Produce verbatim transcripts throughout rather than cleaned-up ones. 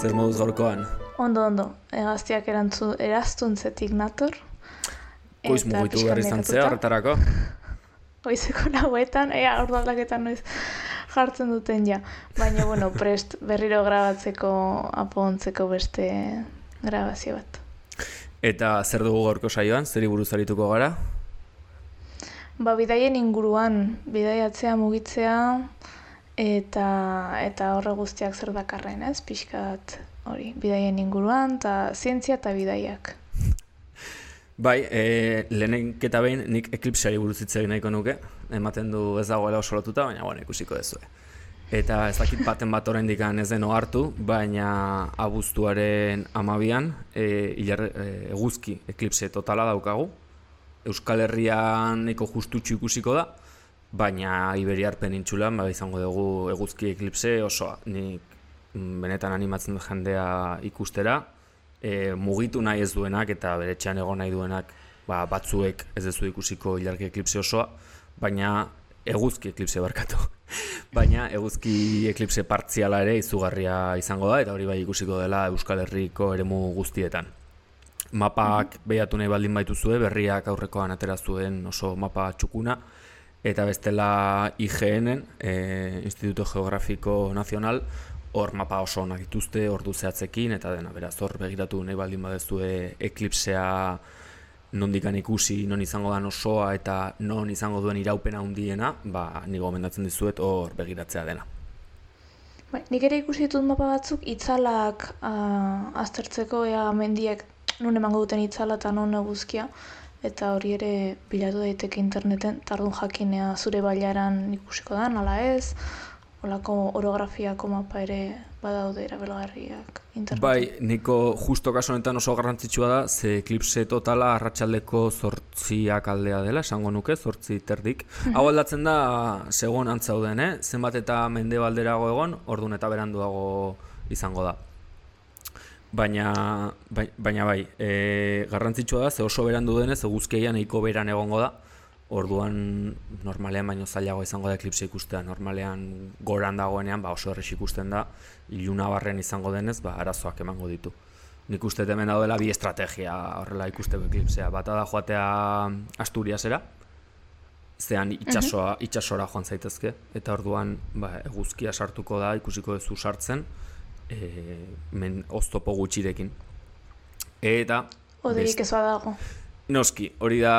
zer moduz gaurkoan? Ondo, ondo. Egaztiak eraztuntzetik nator. Goiz mugitu behar izan zea horretarako? Goizeko lauetan, ea ordu aldaketan noiz jartzen duten ja. Baina, bueno, prest berriro grabatzeko, apontzeko beste grabazio bat. Eta zer dugu gaurko saioan, zeri buruz arituko gara? Ba, bidaien inguruan, bidaiatzea, mugitzea, eta eta horre guztiak zer dakarren, ez? Pixkat hori, bidaien inguruan, eta zientzia eta bidaiak. Bai, e, lehenik eta behin nik eklipseari buruz hitz egin nahiko nuke, ematen du ez dagoela oso lotuta, baina bueno, ikusiko dezue. Eta ez dakit baten bat oraindik ez den ohartu, baina abuztuaren hamabian e, ilar, e, eguzki eklipse totala daukagu. Euskal Herrian nahiko justutxu ikusiko da, baina Iberiar penintsulan ba, izango dugu eguzki eklipse osoa. Nik benetan animatzen dut jendea ikustera, e, mugitu nahi ez duenak eta bere etxean egon nahi duenak ba, batzuek ez dezu ikusiko ilargi eklipse osoa, baina eguzki eklipse barkatu. Baina eguzki eklipse partziala ere izugarria izango da, eta hori bai ikusiko dela Euskal Herriko eremu guztietan. Mapak behatu nahi baldin baituzue, berriak aurrekoan atera zuen oso mapa txukuna, eta bestela I G N-en, e, Instituto Geografiko Nazional, hor mapa oso onak dituzte, ordu zehatzekin, eta dena, beraz, hor begiratu nahi baldin badezue eklipsea nondikan ikusi, non izango dan osoa eta non izango duen iraupena handiena, ba, ni gomendatzen dizuet hor begiratzea dena. Bai, nik ere ikusi ditut mapa batzuk itzalak uh, aztertzeko, ea mendiek nun emango duten itzala eta non eguzkia, eta hori ere bilatu daiteke interneten, tardun jakinea zure bailaran ikusiko dan, ala ez, olako orografiako mapa ere badaude erabilgarriak interneten. Bai, niko justo kasu honetan oso garrantzitsua da, ze eklipse totala arratsaldeko zortziak aldea dela, esango nuke, zortzi terdik. Hau aldatzen da, segon antzauden, eh? Zenbat eta mendebalderago egon, ordun eta beranduago izango da. Baina, bai, baina bai, e, garrantzitsua da, ze oso berandu denez, eguzkia nahiko beran egongo da, orduan normalean baino zailago izango da eklipse ikustea, normalean goran dagoenean ba, oso errez ikusten da, iluna barren izango denez, ba, arazoak emango ditu. Nik uste hemen daudela bi estrategia horrela ikusteko eklipsea, bata da joatea Asturiasera, zean itxasoa, itxasora joan zaitezke, eta orduan ba, eguzkia sartuko da, ikusiko duzu sartzen, e, men oztopo gutxirekin. Eta Oderik ez badago. Noski, hori da,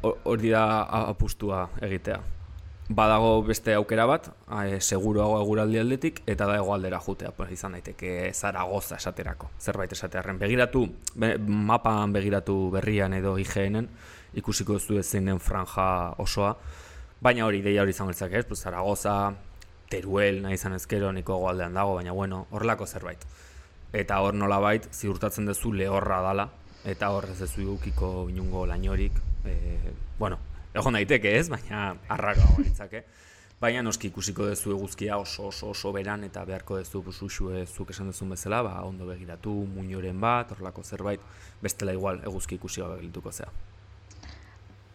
hori da apustua egitea. Badago beste aukera bat, e, seguruago eguraldi aldetik, eta da hegoaldera jutea, pues, izan daiteke Zaragoza esaterako, zerbait esatearren. Begiratu, be, mapan begiratu berrian edo I G N-en, ikusiko duzu zein den franja osoa, baina hori ideia hori izango litzake, ez? Pues, Zaragoza, Teruel, nahi izan ezkero, niko hegoaldean dago, baina bueno, horrelako zerbait. Eta hor nolabait, ziurtatzen duzu lehorra dala, eta hor ez duzu edukiko inungo lainorik, e, bueno, egon daiteke ez, baina arraroa balitzake. Baina noski ikusiko duzu eguzkia oso oso oso beran eta beharko duzu busuxue zuk esan duzun bezala, ba, ondo begiratu, muinoren bat, horrelako zerbait, bestela igual eguzki ikusi gabe gelituko zea.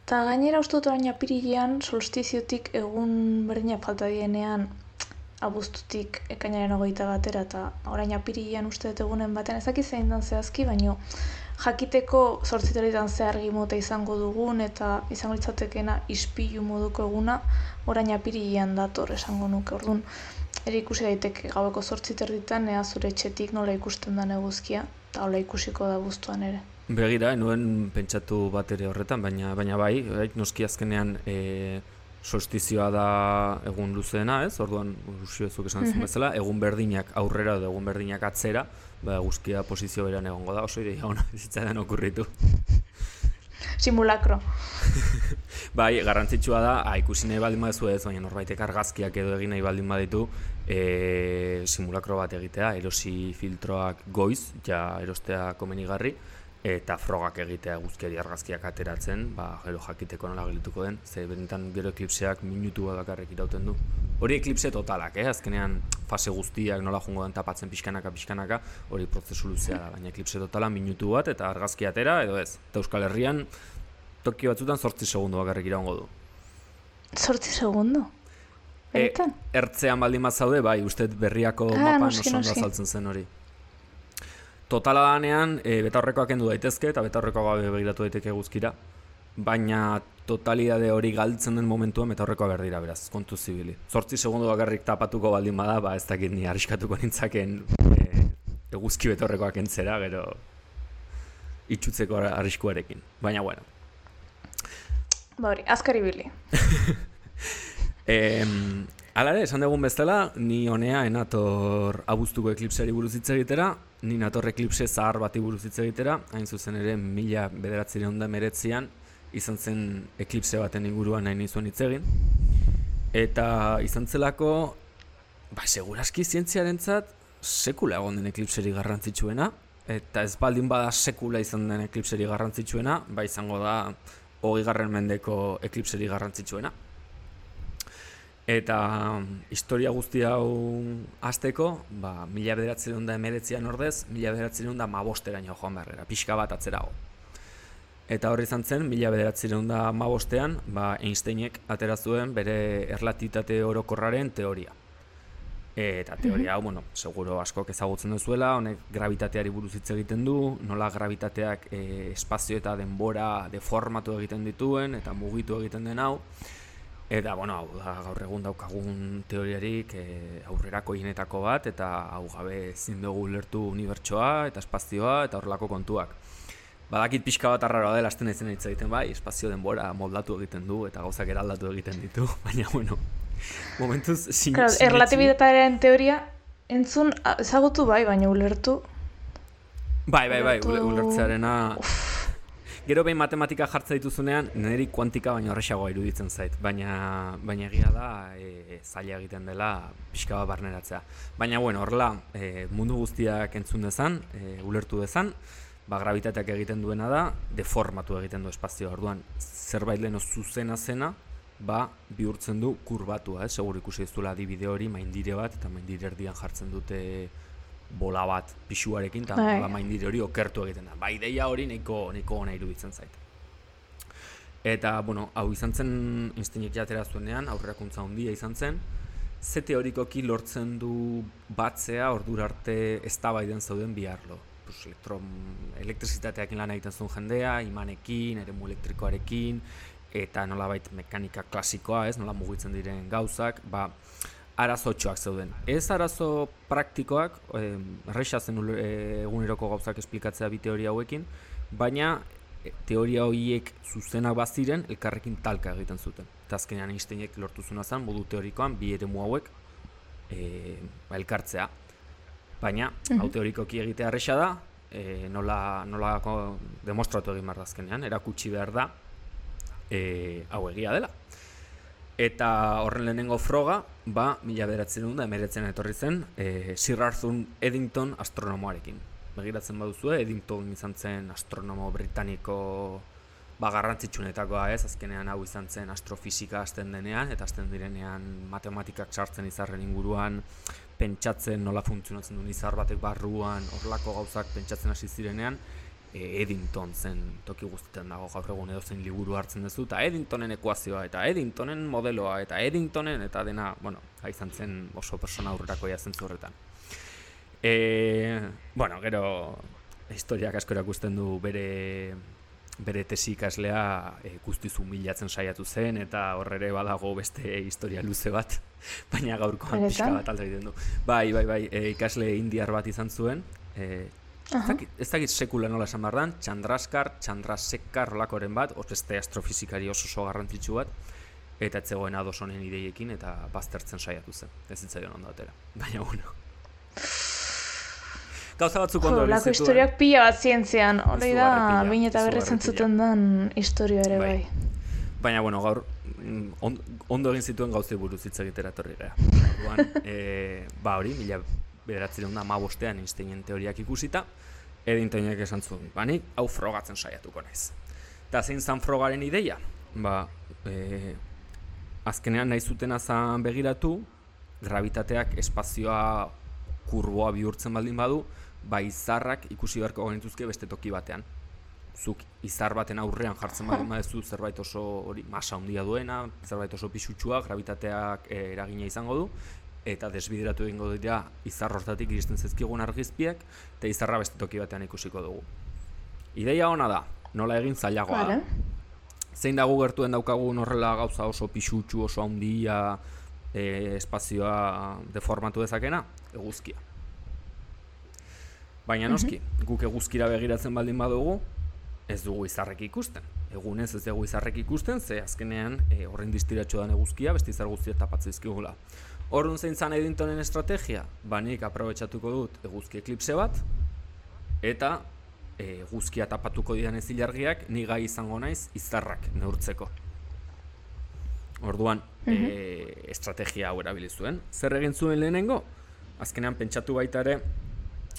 Eta gainera uste dut orain apirilean solstiziotik egun berdina falta dienean abuztutik ekainaren hogeita batera, eta orain apirilean uste dut egunen batean, ezaki zein dan zehazki, baino jakiteko zortziteretan zehargi mota izango dugun eta izango litzatekena ispilu moduko eguna orain apirilean dator esango nuke. Orduan, ere ikusi daiteke gaueko zortziterditan ea zure etxetik nola ikusten den eguzkia, eta hola ikusiko da abuztuan ere. Begira, nuen pentsatu bat ere horretan, baina baina bai, bai noski azkenean e, solstizioa da egun luzeena, ez? Orduan, usiozuk esan duzun bezala, egun berdinak aurrera edo egun berdinak atzera, ba, eguzkia posizio beran egongo da, oso ideia ona bizitzaidan okurritu. Simulakro. Bai, garrantzitsua da, ha, ikusi nahi baldin badezu ez, baina norbaitek argazkiak edo egin nahi baldin baditu, e, simulakro bat egitea, erosi filtroak goiz, ja erostea komenigarri, eta frogak egitea eguzkiari argazkiak ateratzen, ba, gero jakiteko nola gelituko den, ze benetan gero eklipseak minutu bat bakarrik irauten du. Hori eklipse totalak, eh? Azkenean fase guztiak nola joango den tapatzen pixkanaka pixkanaka, hori prozesu luzea da, baina eklipse totala minutu bat eta argazki atera edo ez. Eta Euskal Herrian toki batzutan zortzi segundo bakarrik iraungo du. Zortzi segundo? Beretan? E, ertzean baldin bat zaude, bai, uste berriako ah, mapan noski, oso ondo noski. azaltzen zen hori. totala danean, e, betaurrekoak kendu daitezke, eta betaurrekoak gabe begiratu daiteke guzkira, baina totalidade hori galtzen den momentuan betaurrekoa behar dira, beraz, kontu zibili. Zortzi segundu bakarrik tapatuko baldin bada, ba ez dakit ni arriskatuko nintzaken e, eguzki betaurrekoak entzera, gero itxutzeko arriskuarekin, baina bueno. Ba hori, azkar ibili. Eh, Hala ere, esan dugun bezala, ni honea enator abuztuko eklipseari buruz hitz egitera, ni nator eklipse zahar bati buruz hitz egitera, hain zuzen ere mila bederatziehun eta hemeretzian izan zen eklipse baten inguruan nahi nizuen hitz egin. Eta izan zelako, ba, seguraski zientziarentzat sekula egon den eklipseri garrantzitsuena, eta ez baldin bada sekula izan den eklipseri garrantzitsuena, ba izango da hogeigarren mendeko eklipseri garrantzitsuena. Eta historia guzti hau hasteko, ba, mila bederatziehun eta hemeretzian ordez, mila bederatziehun eta hamabosteraino joan beharrera, pixka bat atzerago. Eta horri izan zen, mila bederatziehun eta hamabostean, ba, Einsteinek atera zuen bere erlatibitate orokorraren teoria. Eta teoria hau, bueno, seguro askok ezagutzen duzuela, honek gravitateari buruz hitz egiten du, nola gravitateak e, espazio eta denbora deformatu egiten dituen, eta mugitu egiten den hau. Eta, bueno, hau da, gaur egun daukagun teoriarik e, aurrerako hienetako bat, eta hau gabe ezin dugu ulertu unibertsoa eta espazioa eta horrelako kontuak. Badakit pixka bat arraroa dela, hasten naizen hitz egiten bai, espazio denbora moldatu egiten du eta gauzak eraldatu egiten ditu, baina, bueno, momentuz sin, claro, erlatibitatearen teoria entzun ezagutu bai, baina ulertu. Bai, bai, bai, ulertu... ulertzearena... Gero behin matematika jartza dituzunean, niri kuantika baina horrexagoa iruditzen zait, baina baina egia da e, zaila egiten dela pixka bat barneratzea. Baina bueno, horrela e, mundu guztiak entzun dezan, e, ulertu dezan, ba, gravitateak egiten duena da, deformatu egiten du espazioa. Orduan, zerbait leno zuzena zena, ba, bihurtzen du kurbatua, eh? Segur ikusi duzula adibide hori, maindire bat, eta maindire erdian jartzen dute bola bat pixuarekin, eta bola maindire hori okertu egiten da. Ba, ideia hori nahiko nahiko ona iruditzen zait. Eta, bueno, hau izan zen Einsteinek jatera zuenean, aurrerakuntza handia izan zen, ze teorikoki lortzen du batzea ordura arte eztabaidan zauden bi arlo. Pues, elektron, elektrizitateakin lan egiten zuen jendea, imanekin, eremu elektrikoarekin, eta nolabait mekanika klasikoa, ez, nola mugitzen diren gauzak, ba, arazotxoak zeuden. Ez arazo praktikoak, erresa zen eguneroko gauzak esplikatzea bi teoria hauekin, baina teoria horiek zuzenak baziren elkarrekin talka egiten zuten. Eta azkenean Einsteinek lortu zuna zen, modu teorikoan, bi eremu hauek e, elkartzea. Baina, mm-hmm. hau teorikoki egitea erresa da, e, nola, nola demostratu egin behar da azkenean, erakutsi behar da, e, hau egia dela. Eta horren lehenengo froga, ba, mila bederatziehun eta hemeretzian etorri zen, e, Sir Arthur Eddington astronomoarekin. Begiratzen baduzue, Eddington izan zen astronomo britaniko ba, garrantzitsuenetakoa, ez, azkenean hau izan zen astrofisika hasten denean, eta hasten direnean matematikak sartzen izarren inguruan, pentsatzen nola funtzionatzen duen izar batek barruan, horlako gauzak pentsatzen hasi zirenean, Eddington zen toki guztietan dago gaur egun edozein liburu hartzen duzu, eta Eddingtonen ekuazioa, eta Eddingtonen modeloa, eta Eddingtonen, eta dena, bueno, izan zen oso persona aurrerakoia zentzu horretan. E, bueno, gero, historiak asko erakusten du bere, bere tesi ikaslea e, guztiz humilatzen saiatu zen, eta horrere badago beste historia luze bat, baina gaurkoan pixka bat alde egiten du. Bai, bai, bai, e, ikasle indiar bat izan zuen, e, Uh-huh. Ez dakit sekula nola esan behar dan, Chandraskar, Chandrasekhar olakoren bat, beste astrofizikari oso oso garrantzitsu bat, eta etzegoen ados honen ideiekin, eta baztertzen saiatu zen. Ez zitzaion ondo atera, baina bueno. Gauza batzuk ondo hori zituen. Historiak pila bat zientzian, hori da, bain eta berriz entzuten den historia ere bai. Baina, bueno, gaur, on, ondo egin zituen gauzei buruz hitz egitera etorri gara. Orduan, e, ba hori, mila bederatziehun eta hamabostean Einsteinen teoriak ikusita, Eddingtonek esan zuen, banik hau frogatzen saiatuko naiz. Eta zein zan frogaren ideia? Ba, e, azkenean nahi zutena zan begiratu, gravitateak espazioa kurboa bihurtzen baldin badu, ba izarrak ikusi beharko genituzke beste toki batean. Zuk izar baten aurrean jartzen baldin baduzu zerbait oso hori masa handia duena, zerbait oso pisutsua, gravitateak e, eragina izango du, eta desbideratu egingo dira izar hortatik iristen zezkigun argizpiak, eta izarra beste toki batean ikusiko dugu. Ideia ona da, nola egin zailagoa da. Zein dago gertuen daukagun horrela gauza oso pixutxu, oso handia, e, espazioa deformatu dezakena? Eguzkia. Baina noski, guk eguzkira begiratzen baldin badugu, ez dugu izarrek ikusten. Egunez ez dugu izarrek ikusten, ze azkenean e, horrein distiratxo den eguzkia, beste izar guztia tapatzizkigula. Horren zein zan Eddingtonen estrategia? Ba nik aprobetxatuko dut eguzki eklipse bat, eta e, eguzkia tapatuko dian ez ilargiak, ni gai izango naiz izarrak neurtzeko. Orduan, e, estrategia hau erabili zuen. Zer egin zuen lehenengo? Azkenean pentsatu baita ere,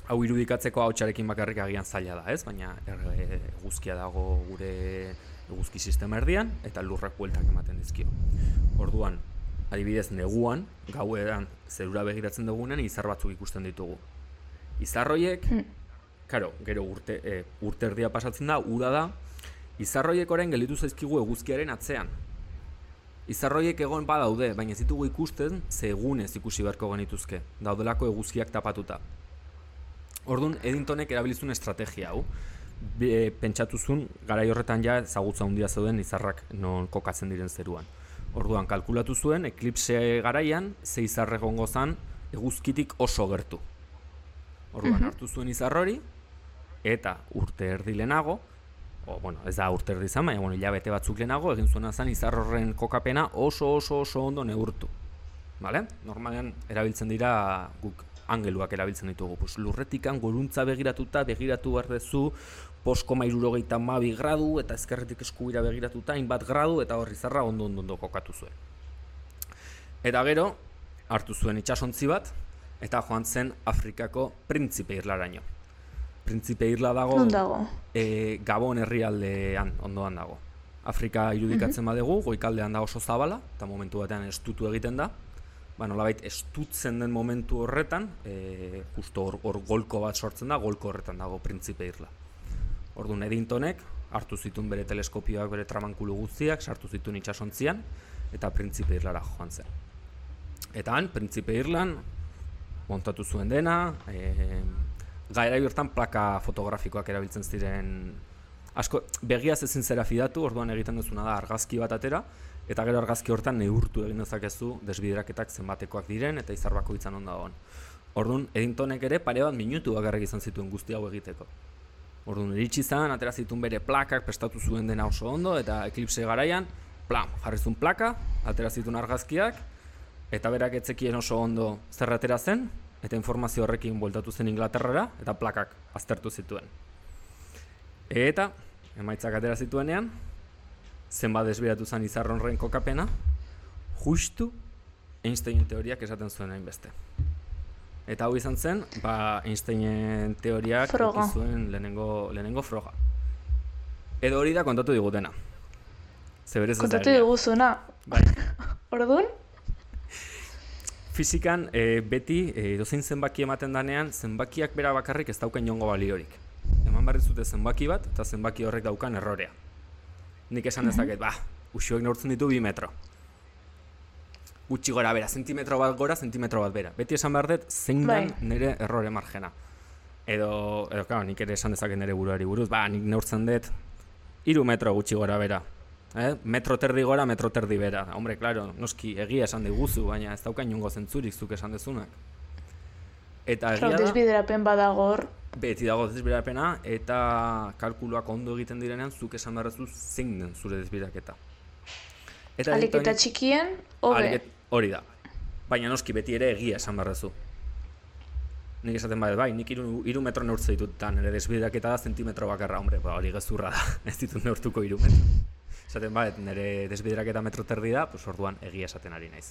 hau irudikatzeko hautsarekin bakarrik agian zaila da, ez? Baina eguzkia dago gure eguzki sistema erdian eta lurrak bueltak ematen dizkio. Orduan, adibidez neguan, gauean zerura begiratzen dugunen izar batzuk ikusten ditugu. Izar horiek, karo, gero urte, e, urte erdia pasatzen da, uda da, izar horiek orain gelditu zaizkigu eguzkiaren atzean. Izar horiek egon badaude, baina ez ditugu ikusten, ze egunez ikusi beharko genituzke, daudelako eguzkiak tapatuta. Orduan, Eddingtonek erabilizun estrategia hau. Be, pentsatuzun, garai horretan ja ezagutza handia zeuden izarrak non kokatzen diren zeruan. Orduan, kalkulatu zuen, eklipse garaian, ze izar egongo zan eguzkitik oso gertu. Orduan, hartu zuen izar hori, eta urte erdi lehenago, o, bueno, ez da urte erdi izan, baina bueno, hilabete batzuk lehenago, egin zuena zen izar horren kokapena oso oso oso ondo neurtu. Vale? Normalean, erabiltzen dira guk angeluak erabiltzen ditugu. Pues, lurretikan goruntza begiratuta, begiratu behar dezu, bost koma hirurogeita hamabi gradu, eta ezkerretik eskubira begiratuta, hainbat gradu, eta horri zarra ondo ondo ondo kokatu zuen. Eta gero, hartu zuen itsasontzi bat, eta joan zen Afrikako Printzipe Irlaraino. Printzipe Irla dago, dago? E, Gabon herrialdean ondoan dago. Afrika irudikatzen badugu, goikaldean da oso zabala, eta momentu batean estutu egiten da. Ba, nolabait estutzen den momentu horretan, e, justo hor, hor golko bat sortzen da, golko horretan dago Printzipe Irla. Orduan Eddingtonek hartu zituen bere teleskopioak, bere tramankulu guztiak, sartu zituen itsasontzian, eta Printzipe Irlara joan zen. Eta han, Printzipe Irlan, montatu zuen dena, e, garai hortan plaka fotografikoak erabiltzen ziren, asko, begiaz ezin zera fidatu, orduan egiten duzuna da argazki bat atera, eta gero argazki hortan neurtu egin dezakezu desbideraketak zenbatekoak diren eta izar bakoitzan onda dagoen. Orduan, Eddingtonek ere pare bat minutu bakarrik izan zituen guzti hau egiteko. Orduan, iritsi zen, atera zituen bere plakak, prestatu zuen dena oso ondo, eta eklipse garaian, plam, jarri zuen plaka, atera zituen argazkiak, eta berak etzekien oso ondo zer atera zen, eta informazio horrekin bueltatu zen Inglaterrara, eta plakak aztertu zituen. Eta, emaitzak atera zituenean, zenbat desbiratu zen izar horren kokapena, justu Einsteinen teoriak esaten zuen hainbeste. Eta hau izan zen, ba, Einsteinen teoriak zuen lehenengo, lehenengo froga. Edo hori da kontatu digutena. Kontatu diguzuna. Bai. Orduan? Fizikan e, beti e, dozein zenbaki ematen danean, zenbakiak bera bakarrik ez dauken jongo baliorik. Eman barri zute zenbaki bat, eta zenbaki horrek daukan errorea. Nik esan dezaket, ba, uxuek neurtzen ditu bi metro. Gutxi gora bera, zentimetro bat gora, zentimetro bat bera. Beti esan behar dut, zein den nire errore margena. Edo, edo, claro, nik ere esan dezaket nire buruari buruz, ba, nik neurtzen dut, hiru metro gutxi gora bera. Eh? Metro terdi gora, metro terdi bera. Hombre, claro, noski, egia esan diguzu, baina ez daukain jongo zentzurik zuk esan dezunak. Eta egia da... Desbiderapen badago hor. Beti dago desbiderapena, eta kalkuluak ondo egiten direnean, zuk esan beharrezu zein den zure desbideraketa. Alik eta txikien, hobe. Hori da. Baina noski beti ere egia esan beharrezu. Nik esaten badet, bai, nik iru, iru metro neurtze ditut, eta nire desbideraketa da zentimetro bakarra, hombre, ba, hori gezurra da, ez ditut neurtuko iru metro. Esaten badet, nire desbideraketa metro terdi da, pues orduan egia esaten ari naiz.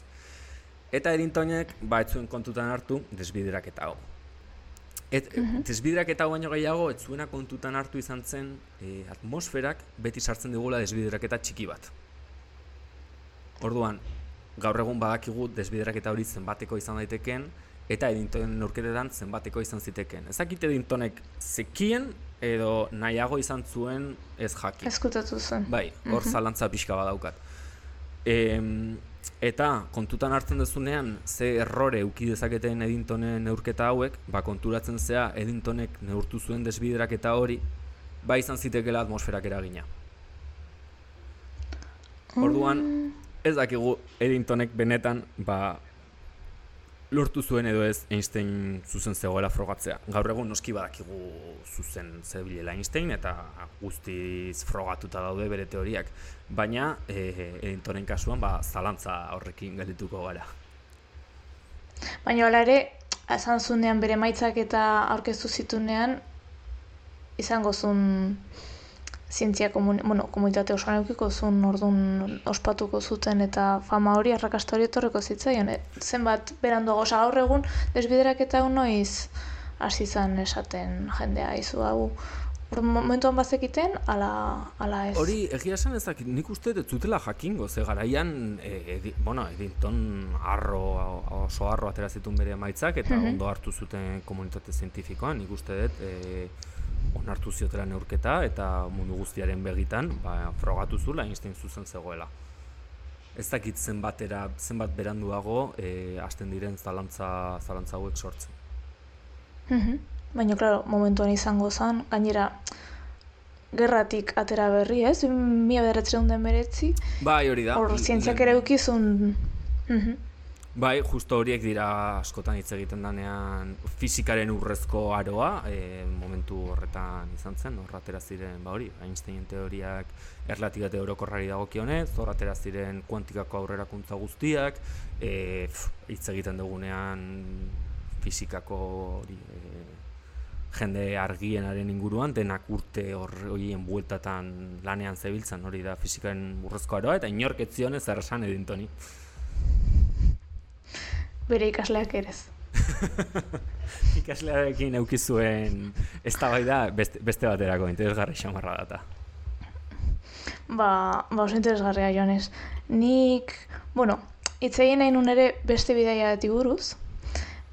Eta Eddingtonek, ba, ez zuen kontutan hartu desbideraketa hau. Et, uh-huh. Desbideraketa hau baino gehiago, ez zuena kontutan hartu izan zen e, atmosferak beti sartzen digula desbideraketa txiki bat. Orduan, gaur egun badakigu desbideraketa hori zenbateko izan daiteken, eta Eddingtonen neurketetan zenbateko izan ziteken. Ezakit Eddingtonek zekien edo nahiago izan zuen ez jakin. Eskutatu zen. Bai, hor uh-huh. zalantza pixka badaukat. E, Eta kontutan hartzen duzunean ze errore euki dezaketen Eddingtonen neurketa hauek, ba konturatzen zea Eddingtonek neurtu zuen desbideraketa hori, ba izan zitekeela atmosferak eragina. Orduan, ez dakigu Eddingtonek benetan ba lortu zuen edo ez Einstein zuzen zegoela frogatzea. Gaur egun noski badakigu zuzen zebilela Einstein eta guztiz frogatuta daude bere teoriak. Baina eh, Eddingtonen kasuan ba, zalantza horrekin geldituko gara. Baina hala ere, esan zunean bere emaitzak eta aurkeztu zitunean, izango zuen zientzia komun, bueno, komunitate osoan eukiko zuen orduan ospatuko zuten eta fama hori, arrakasta hori etorreko zitzaion. E, zenbat beranduago, osa gaur egun desbideraketa hau noiz hasi zan esaten jendea izu hau. Momentuan bazekiten, ala, ala ez. Hori, egia esan ezak, nik uste dut zutela jakingo, ze garaian, e, edi, bueno, Eddington arro, oso arro atera zituen bere emaitzak, eta mm-hmm. ondo hartu zuten komunitate zientifikoan, nik uste dut, e, onartu ziotela neurketa, eta mundu guztiaren begitan, ba, frogatu zula Einstein zuzen zegoela. Ez dakit zenbatera, zenbat beranduago, e, hasten diren zalantza, zalantza hauek sortzen. Mm-hmm. Baina, klaro, momentuan izango zen, gainera, gerratik atera berri, ez? Mila bederatziehun eta hemeretzi. Bai, hori da. Hor, zientziak ere eukizun. Mm-hmm. Bai, justo horiek dira askotan hitz egiten danean fisikaren urrezko aroa, e, momentu horretan izan zen, hor atera ziren, ba hori, Einsteinen teoriak erlatibitate orokorrari dagokionez, hor atera ziren kuantikako aurrerakuntza guztiak, e, pf, hitz egiten dugunean fisikako hori, e, jende argienaren inguruan, denak urte horien bueltatan lanean zebiltzan, hori da fisikaren urrezko aroa, eta inork ez zionez zer esan Eddingtoni. Bere ikasleak erez. Ikaslearekin eukizuen eztabaida beste, beste baterako interesgarri xamarra data. Ba, ba oso interesgarria joanez. Nik, bueno, hitz egin nahi nun ere beste bidaia bati buruz,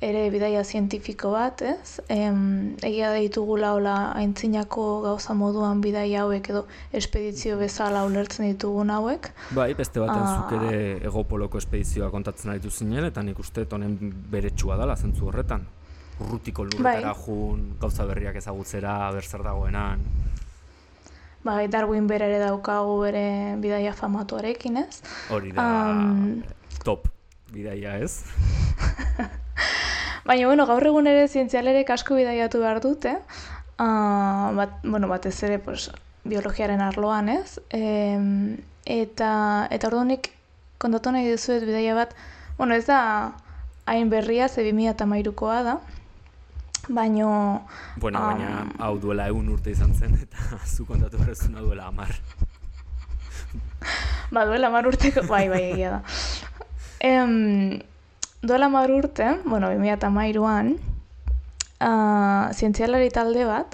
ere bidaia zientifiko bat, ez? Em, egia da ditugula hola aintzinako gauza moduan bidaia hauek edo espedizio bezala ulertzen ditugun hauek. Bai, beste batean ah. zuk ere Egopoloko espedizioa kontatzen aritu zinen, eta nik uste honen beretsua dela zentzu horretan. Urrutiko lurretara bai. Jun, gauza berriak ezagutzera, berzer dagoenan. Bai, Darwin bere ere daukagu bere bidaia famatuarekin, ez? Hori da um, top bidaia, ez? Baina, bueno, gaur egun ere zientzialerek asko bidaiatu behar dute, uh, bat, bueno, batez ere pues, biologiaren arloan, ez? E, eta eta orduanik kontatu nahi dizuet bidaia bat, bueno, ez da hain berria, ze bi mila hamairukoa da, baino... Bueno, um, baina hau duela egun urte izan zen, eta zu kontatu berrezuna duela hamar. Ba, duela hamar urteko, bai, bai, egia da. Em... Duela hamar urte, bueno, bi mila hamairuan, uh, zientzialari talde bat,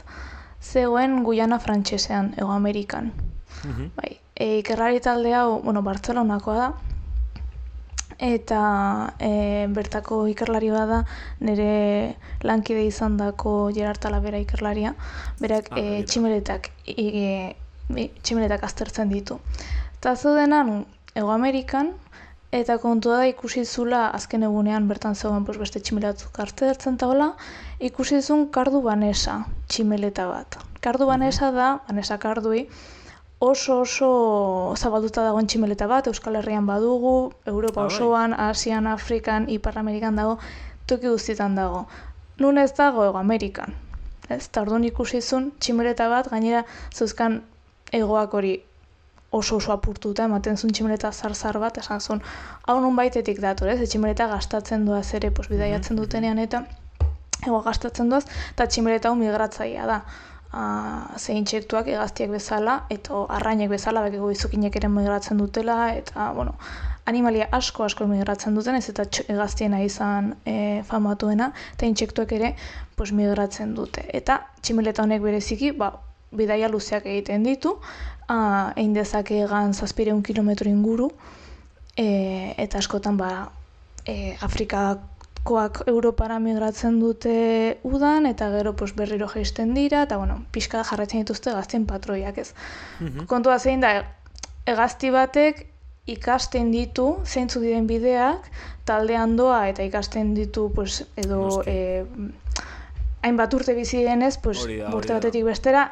zegoen Guyana frantsesean, Hego Amerikan. Mm-hmm. Bai, e, ikerlari talde hau, bueno, Bartzelonakoa da, eta e, bertako ikerlari bada nire lankide izan dako Gerard Talavera ikerlaria, berak ah, e, tximeletak, e, e, tximeletak aztertzen ditu. Eta zeudenan, Hego Amerikan, eta kontua da ikusi zula azken egunean bertan zegoen pues, beste tximelatzuk hartzertzen eta hola, ikusi zuen kardu banesa tximeleta bat. Kardu banesa da, banesa kardui, oso oso zabalduta dagoen tximeleta bat, Euskal Herrian badugu, Europa osoan, Asian, Afrikan, Ipar Amerikan dago, toki guztietan dago. Nun ez dago Hego Amerikan. Ez, eta orduan ikusi zuen tximeleta bat, gainera zeuzkan egoak hori oso oso apurtuta, ematen zuen tximeleta zar-zar bat, esan zuen, hau nun baitetik dator, ez? Tximeleta gastatzen duaz ere, pues, bidaiatzen dutenean eta ego gastatzen duaz, eta tximeleta hau migratzailea da. Uh, ze intsektuak hegaztiak bezala, eta arrainek bezala, bekiko izukinek ere migratzen dutela, eta, bueno, animalia asko asko migratzen duten, ez eta hegaztiena izan e, famatuena, eta intsektuak ere pues, migratzen dute. Eta tximeleta honek bereziki, ba, bidaia luzeak egiten ditu, uh, egin dezake egan zazpireun kilometro inguru, e, eta askotan ba, e, Afrikakoak Europara migratzen dute udan, eta gero pues, berriro jaisten dira, eta bueno, pixka jarraitzen dituzte hegaztien patroiak ez. Mm-hmm. Kontua zein da, hegazti batek ikasten ditu zeintzuk diren bideak, taldean doa eta ikasten ditu pues, edo eh, hainbat urte bizi denez, pues, urte batetik bestera,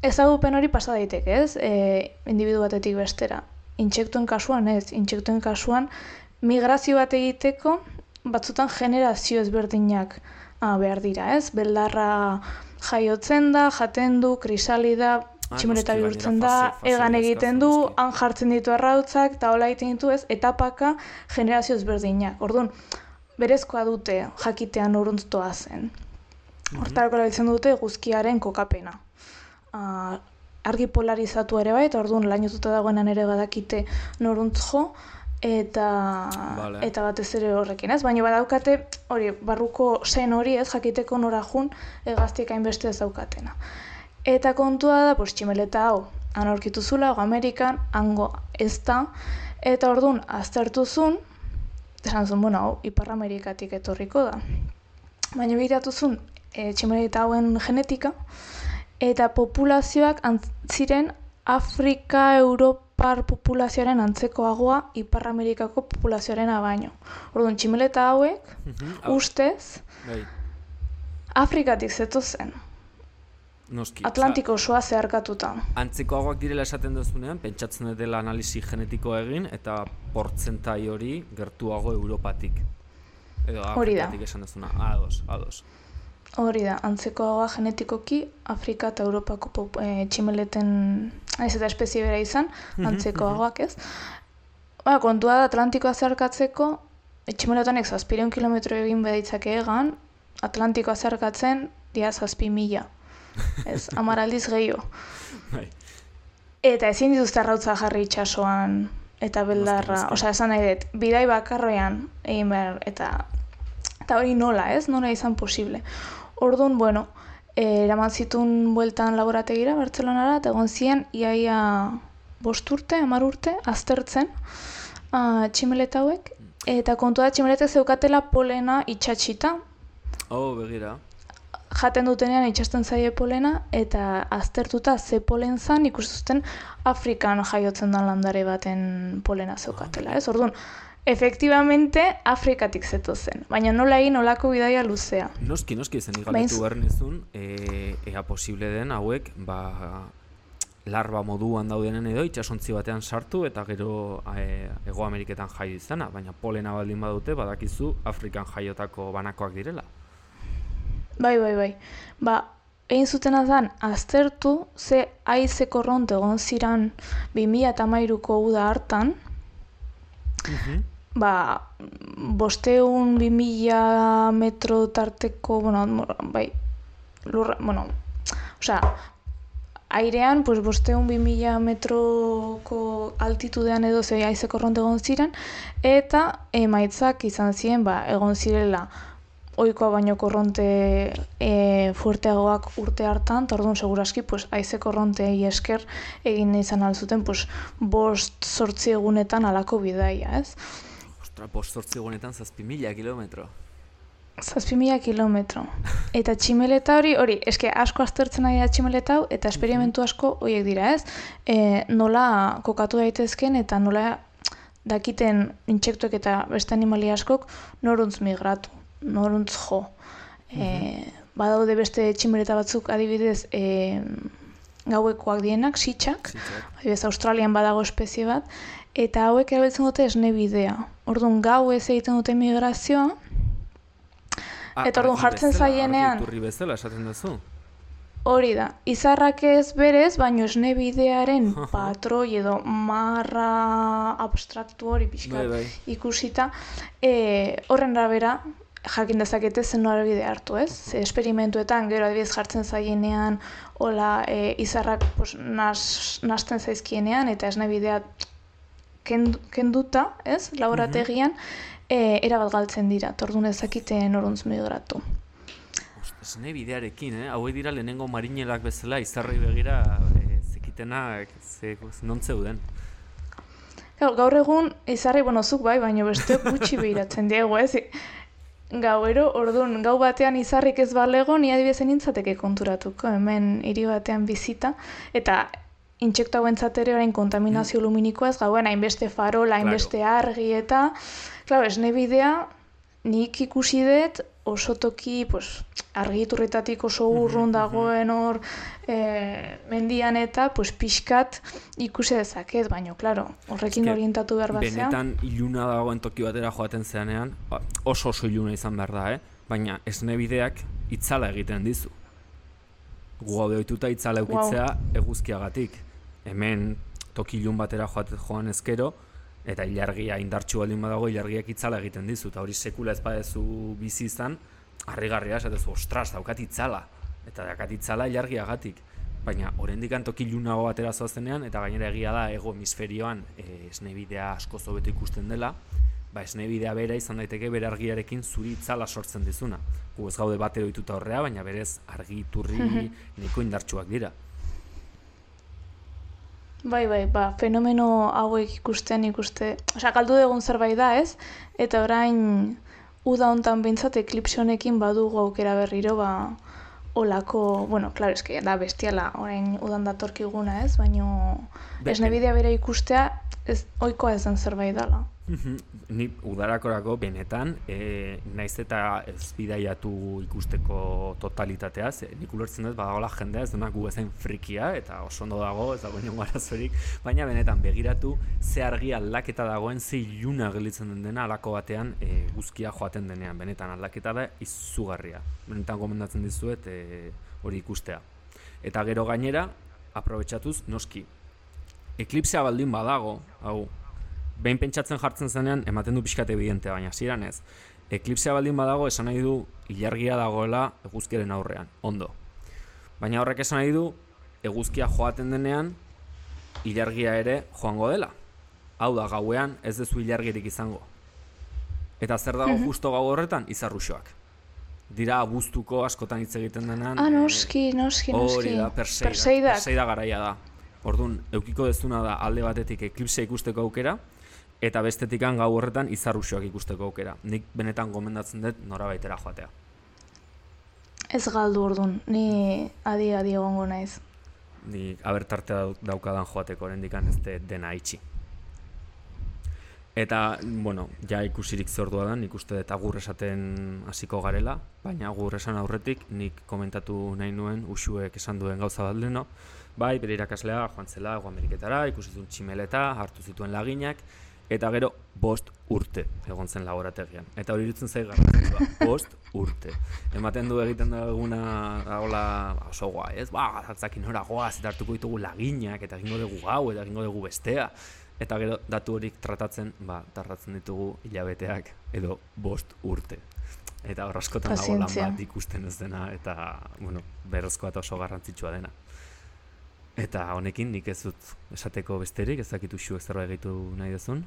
ezagupen hori pasa daiteke, ez? E, individu batetik bestera. Intsektuen kasuan ez, intsektuen kasuan migrazio bat egiteko batzutan generazio ezberdinak ah, behar dira, ez? Beldarra jaiotzen da, jaten du, krisalida, tximeleta bihurtzen da, egan egiten du, han jartzen ditu arrautzak, eta hola egiten ditu ez, etapaka generazio ezberdinak. Orduan, berezkoa dute jakitean noruntzoa zen. Hortarako erabiltzen dute guzkiaren kokapena. Uh, argi polarizatu ere bai, eta orduan lainotuta dagoenan ere badakite noruntz jo, eta, vale. Eta batez ere horrekin, ez? Baina badaukate, hori, barruko zen hori, ez, jakiteko nora jun, egaztiek hainbeste ez daukatena. Eta kontua da, pues, tximeleta hau, han aurkitu zula, hau Amerikan, hango ez da, eta orduan, aztertu zun, esan zuen, bueno, hau, Ipar Amerikatik etorriko da. Baina begiratu zuen, e, tximeleta hauen genetika, eta populazioak ziren Afrika, Europar populazioaren antzekoagoa Ipar Amerikako populazioarena baino. Orduan, tximeleta hauek, mm-hmm. ustez, Bai. Afrikatik zetozen. Noski. Atlantiko osoa zeharkatuta. Antzekoagoak direla esaten duzunean, pentsatzen dela analisi genetikoa egin, eta portzentai hori gertuago Europatik. Edo Afrikatik esan duzuna. Ados, ados. Hori da, antzekoagoa genetikoki Afrika eta Europako pop, e, tximeleten, ez eta espezie bera izan, antzekoagoak ez. Ba, kontua da Atlantikoa zeharkatzeko, tximeletanek zazpireun kilometro egin bedaitzake egan, Atlantikoa zeharkatzen dia zazpi mila. Ez, hamar aldiz gehiago. Eta ezin dituzte arrautza jarri itsasoan eta beldarra, osea, esan nahi dut, bidai bakarroan egin behar, eta eta hori nola, ez? Nola izan posible. Orduan, bueno, eh, eraman zituen bueltan laborategira, Bartzelonara, eta egon ziren, iaia bost urte, hamar urte, aztertzen uh, tximeleta hauek, eta kontua da tximeletek zeukatela polena itxatxita. Oh, begira. Jaten dutenean itxasten zaie polena, eta aztertuta ze polen zan, ikustuzten Afrikan jaiotzen den landare baten polena zeukatela, ez? Orduan, efektibamente Afrikatik zetozen, baina nola egin olako bidaia luzea. Noski, noski, zen igaletu behar nizun, e, ea posible den hauek, ba, larba moduan daudenen edo, itxasontzi batean sartu, eta gero e, Hego Ameriketan jaio izana, baina polena baldin badute, badakizu Afrikan jaiotako banakoak direla. Bai, bai, bai. Ba, egin zutena zen, aztertu, ze haize korronte egon ziran bi mila hamairuko uda hartan, mm-hmm. ba, bosteun bi mila metro tarteko, bueno, bai, lurra, bueno, osea, airean, pues, bosteun bi mila metroko altitudean edo ze haize korronte egon ziren, eta emaitzak izan ziren, ba, egon zirela, ohikoa baino korronte e, fuerteagoak urte hartan, eta orduan seguraski pues, haize korrontei esker egin izan alzuten pues, bost zortzi egunetan alako bidaia, ez? Ostra, bost zortzi egunetan zazpi mila kilometro. Zazpi mila kilometro. Eta tximeleta hori, hori, eske asko aztertzen ari da tximeleta hau, eta esperimentu asko horiek dira, ez? E, nola kokatu daitezken eta nola dakiten intsektuek eta beste animali askok noruntz migratu. Noruntz jo. E, badaude beste tximeleta batzuk adibidez e, gauekoak dienak, sitxak, adibidez Australian badago espezie bat, eta hauek erabiltzen dute esne bidea. Orduan gau ez egiten dute migrazioa, eta orduan jartzen zaienean... Argi bezala esaten duzu? Hori da, izarrak ez berez, baino esne bidearen patroi edo marra abstraktu hori pixka ikusita, e, horren arabera, jakin dezakete zen norabide hartu, ez? Ze esperimentuetan gero adibidez jartzen zaienean hola e, izarrak pues, nas, nasten zaizkienean eta esne bidea kendu, kenduta, ez? Laborategian e, erabat galtzen dira, tordun ezakite noruntz migratu. Esne bidearekin, eh? Hauek dira lehenengo marinelak bezala izarrei begira e, zekitenak ze, non zeuden. Gaur egun izarrei bonozuk bai, baina besteok gutxi behiratzen diegu, ez? Gauero, orduan, gau batean izarrik ez balego, ni adibidez nintzateke konturatuko, hemen hiri batean bizita, eta intsektu hauentzat ere orain kontaminazio luminikoa ez gauen hainbeste farola, hainbeste argi eta, claro, esne bidea nik ikusi dut oso toki, pues, argiturretatik oso urrun dagoen hor e, mendian eta pues, pixkat ikusi dezaket, baina, claro, horrekin orientatu behar bat zean. Benetan iluna dagoen toki batera joaten zeanean, oso oso iluna izan behar da, eh? Baina esne bideak itzala egiten dizu. Gu gaude ohituta itzala eukitzea wow. Eguzkiagatik. Hemen toki ilun batera joan ezkero, eta ilargia indartsu baldin badago, ilargiak itzala egiten dizu, eta hori sekula ez badezu bizi izan, harrigarria esatezu, ostras, daukat itzala, eta daukat itzala ilargiagatik. Baina oraindik toki ilunago batera zoazenean, eta gainera egia da hego hemisferioan e, esnebidea asko hobeto ikusten dela, ba esnebidea bera izan daiteke bere argiarekin zuri itzala sortzen dizuna. Gu ez gaude batero ohituta horrea, baina berez argi iturri nahiko indartsuak dira. Bai, bai, ba, fenomeno hauek ikusten ikuste, osea, galdu dugun zerbait da, ez? Eta orain uda hontan behintzat eklipse honekin badugu aukera berriro, ba, olako, bueno, claro, eske da bestiala, orain udan datorkiguna, ez? Baina esnebidea bera ikustea ez ohikoa ez den zerbait dela. Ni udarakorako benetan, e, naiz eta ez bidaiatu ikusteko totalitatea, ze nik ulertzen dut badagoela jendea ez dunak gu ezain frikia, eta oso ondo dago, ez dago inongo arazorik, baina benetan begiratu ze argi aldaketa dagoen, ze iluna gelditzen den dena alako batean e, guzkia joaten denean, benetan aldaketa da izugarria. Benetan gomendatzen dizuet e, hori ikustea. Eta gero gainera, aprobetxatuz, noski, eklipsea baldin badago, hau, behin pentsatzen jartzen zenean, ematen du pixkat evidentea, baina ziren ez. Eklipsea baldin badago, esan nahi du ilargia dagoela eguzkiaren aurrean, ondo. Baina horrek esan nahi du, eguzkia joaten denean, ilargia ere joango dela. Hau da, gauean ez dezu ilargirik izango. Eta zer dago justo gau horretan? Izarruxoak. Dira abuztuko askotan hitz egiten denean. Ah, noski, noski, noski. Hori da, Perseidak. Perseida garaia da. Orduan, eukiko dezuna da alde batetik eklipsea ikusteko aukera, eta bestetikan gau horretan izarruxoak ikusteko aukera. Nik benetan gomendatzen dut norabaitera joatea. Ez galdu orduan, ni adi-adi egongo naiz. Ni abertartea daukadan joateko oraindikan ez dena itxi. Eta, bueno, ja ikusirik zordua da, nik uste dut agur esaten hasiko garela, baina agur esan aurretik nik komentatu nahi nuen Uxuek esan duen gauza bat leheno, bai, bere irakaslea joan zela Hego Ameriketara, ikusi zuen tximeleta, hartu zituen laginak, eta gero bost urte egon zen laborategian. Eta hori irutzen zait garrantzitsua, bost urte. Ematen du egiten duguna dagoela oso guai, ez? Ba, garantzakin nora goaz, eta hartuko ditugu laginak, eta egingo dugu gau, eta egingo dugu bestea. Eta gero datu horik tratatzen, ba, tarratzen ditugu hilabeteak edo bost urte. Eta hor askotan dago lan bat ikusten ez dena, eta, bueno, berrezkoa eta oso garrantzitsua dena. Eta honekin nik ez dut esateko besterik, ez dakit Uxuek zerbait gehitu nahi duzun?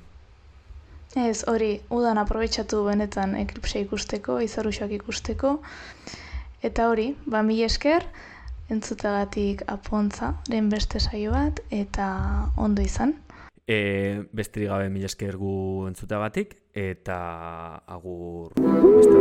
Ez, hori, udan aprobetxatu benetan eklipsea ikusteko, izarruxoak ikusteko. Eta hori, ba mila esker, entzutagatik Apontza-ren beste saio bat, eta ondo izan. E, besterik gabe mila esker gu entzutagatik, eta agur beste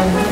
Bye.